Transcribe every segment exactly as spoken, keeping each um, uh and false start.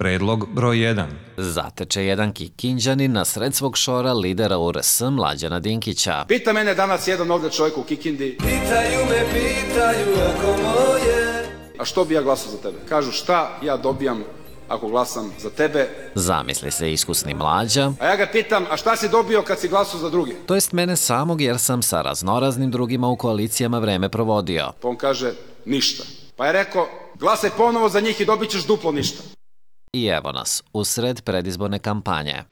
Predlog broj jedan. Zateče jedan Kikinđanin na sred svog šora lidera U R S Mlađana Dinkića. Pita mene danas jedan ovde čovjek u Kikindi. Pitaju me, pitaju oko moje. A što bi ja glasao za tebe? Kažu šta ja dobijam ako glasam za tebe. Zamisli se iskusni Mlađa. A ja ga pitam, a šta si dobio kad si glasao za drugi? To jest mene samog, jer sam sa raznoraznim drugima u koalicijama vreme provodio. Pa on kaže, ništa. Pa je rekao, glasaj ponovo za njih i dobit ćeš duplo ništa. I evo nas, usred predizborne kampanje.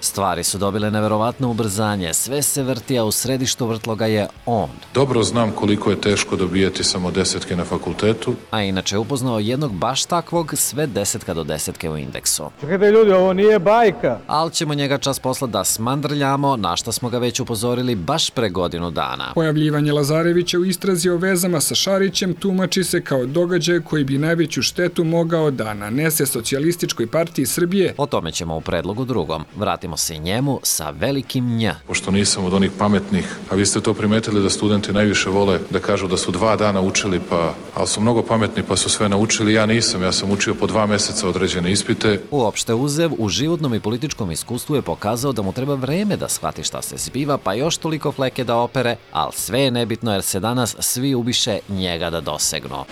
Stvari su dobile neverovatno ubrzanje, sve se vrti, a u središtu vrtloga je on. Dobro znam koliko je teško dobijeti samo desetke na fakultetu. A inače je upoznao jednog baš takvog, sve desetka do desetke u indeksu. Čekajte ljudi, ovo nije bajka. Ali ćemo njega čas posla da smandrljamo, na šta smo ga već upozorili baš pre godinu dana. Pojavljivanje Lazarevića u istrazi o vezama sa Šarićem tumači se kao događaj koji bi najveću štetu mogao da nanese Socijalističkoj partiji Srbije. O tome ćemo u predlogu drugom. Vratimo se njemu sa velikim nj. Pošto nisam od onih pametnih, a vi ste to primetili da studenti najviše vole da kažu da su dva dana učili, pa, ali su mnogo pametni pa su sve naučili, ja nisam, ja sam učio po dva meseca određene ispite. Uopšte uzev, u životnom i političkom iskustvu je pokazao da mu treba vreme da shvati šta se zbiva, pa još toliko fleke da opere, ali sve je nebitno jer se danas svi ubiše njega da dosegnu.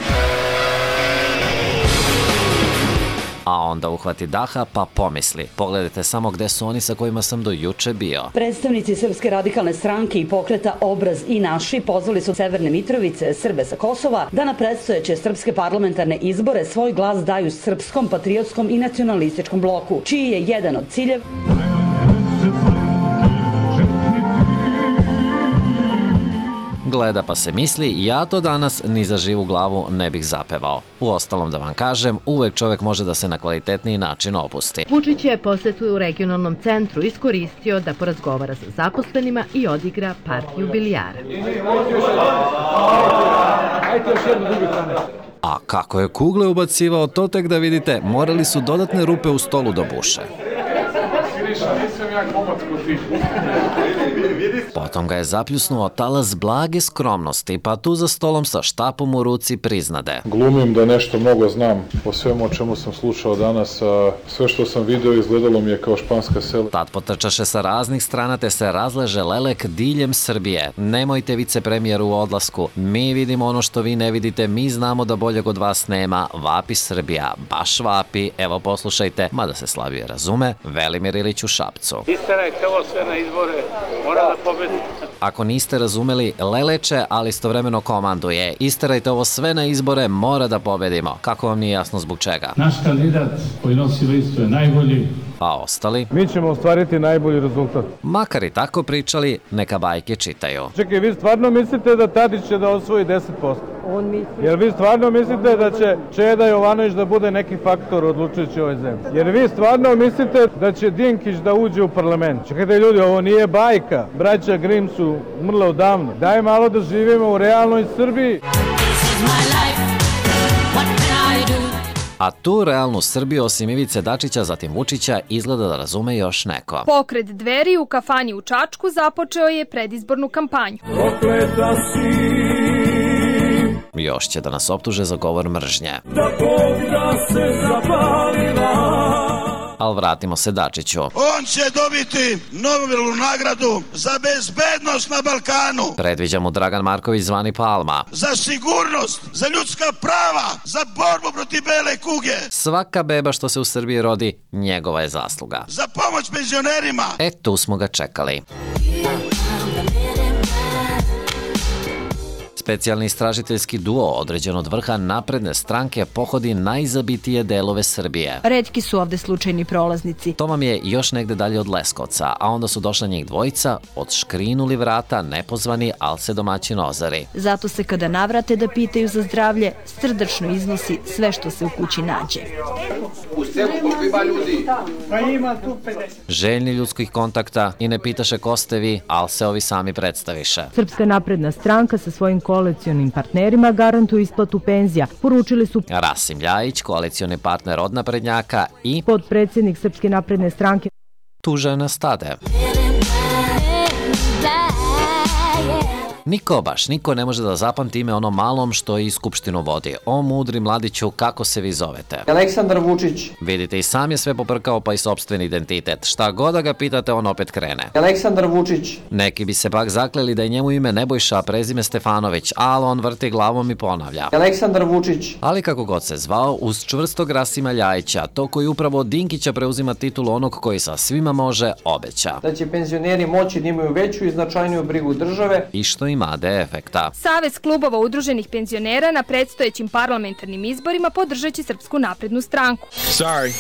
A onda uhvati daha pa pomisli. Pogledajte samo gde su oni sa kojima sam do juče bio. Predstavnici Srpske radikalne stranke i pokreta Obraz i naši pozvali su Severne Mitrovice, Srbe sa Kosova, da na predstojeće srpske parlamentarne izbore svoj glas daju srpskom, patriotskom i nacionalističkom bloku, čiji je jedan od ciljeva gleda pa se misli, ja to danas ni za živu glavu ne bih zapevao. Uostalom da vam kažem, uvek čovek može da se na kvalitetniji način opusti. Vučić je posetu u regionalnom centru iskoristio da porazgovara sa zaposlenima i odigra partiju bilijara. A kako je kugle ubacivao, to tek da vidite, morali su dodatne rupe u stolu da buše. Potom ga je zapljusnuo talas blage skromnosti, pa tu za stolom sa štapom u ruci priznade. Glumim da nešto mnogo znam o svemu o čemu sam slušao danas, a sve što sam video izgledalo mi je kao španska sela. Tad potrčaše sa raznih strana te se razleže lelek diljem Srbije. Nemojte vicepremijeru u odlasku, mi vidimo ono što vi ne vidite, mi znamo da boljeg od vas nema, vapi Srbija, baš vapi, evo poslušajte, mada se slabije razume, Velimir Ilić u Šapcu. Isterajte ovo sve na izbore, mora da pobedi. Ako niste razumeli, leleče, ali istovremeno komanduje. Isterajte ovo sve na izbore, mora da pobedimo. Kako vam nije jasno zbog čega? Naš kandidat koji nosi listu je najbolji. A ostali? Mi ćemo ostvariti najbolji rezultat. Makar i tako pričali, neka bajke čitaju. Čekaj, vi stvarno mislite da Tadić će da osvoji deset posto? On misli... Jer vi stvarno mislite da će Čeda Jovanović da bude neki faktor odlučujući u ovoj zemlji? Jer vi stvarno mislite da će Dinkić da uđe u parlament? Čekajte ljudi, ovo nije bajka. Braća Grim su umrla odavno. Daj malo da živimo u realnoj Srbiji. A tu realnu Srbiju, osim Ivice Dačića, zatim Vučića, izgleda da razume još neko. Pokret Dveri u kafani u Čačku započeo je predizbornu kampanju. Prokleta si. Još će da nas optuže za govor mržnje. Da Bog da se zapalila. Ali vratimo se Dačiću. On će dobiti Nobelovu nagradu za bezbednost na Balkanu. Predviđa mu Dragan Marković zvani Palma. Za sigurnost, za ljudska prava, za borbu protiv bele kuge. Svaka beba što se u Srbiji rodi, njegova je zasluga. Za pomoć penzionerima. E, tu smo ga čekali. Specijalni istražiteljski duo određen od vrha napredne stranke pohodi najzabitije delove Srbije. Retki su ovde slučajni prolaznici. To vam je još negde dalje od Leskovca, a onda su došla njih dvojica, odškrinuli vrata, nepozvani, al se domaćin ozari. Zato se kada navrate da pitaju za zdravlje, srdačno iznosi sve što se u kući nađe. U selu koliko ima ljudi? Pa ima tu pedeset. Željni ljudskih kontakta i ne pitaše ko ste vi, al se ovi sami predstaviše. Srpska napredna stranka sa svojim koalicionim partnerima garantuju isplatu penzija. Poručili su Rasim Ljajić, koalicioni partner od naprednjaka i potpredsjednik Srpske napredne stranke Tu žena stade. Niko, baš niko ne može da zapamti ime onom malom što i skupštinu vodi. O mudri mladiću, kako se vi zovete? Aleksandar Vučić. Vidite, i sam je sve poprkao pa i sopstveni identitet. Šta god da ga pitate, on opet krene. Aleksandar Vučić. Neki bi se pak zakleli da je njemu ime Nebojša, a prezime Stefanović, ali on vrti glavom i ponavlja. Aleksandar Vučić. Ali kako god se zvao, uz čvrstog Rasima Ljajića, to koji upravo od Dinkića preuzima titulu onog koji sa svima može, obeća. Da će penzioneri moći da imaju veću i značajniju brigu države. I što ima de efekta. Savez klubova udruženih penzionera na predstojećim parlamentarnim izborima podržat će Srpsku naprednu stranku. Sorry.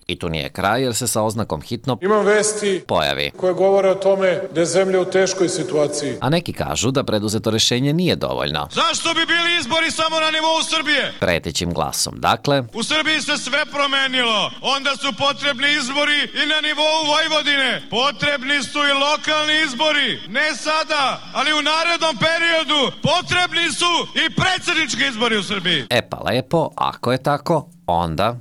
I tu nije kraj jer se sa oznakom hitno Imam vesti pojavi koje govore o tome da je zemlja u teškoj situaciji. A neki kažu da preduzeto rešenje nije dovoljno. Zašto bi bili izbori samo na nivou Srbije? Pretećim glasom. Dakle, U Srbiji se sve promenilo. Onda su potrebni izbori i na nivou Vojvodine. Potrebni su i lokalni izbori. Ne sada, ali u narednom periodu potrebni su i predsjednički izbori u Srbiji. e pa lepo, ako je tako, onda...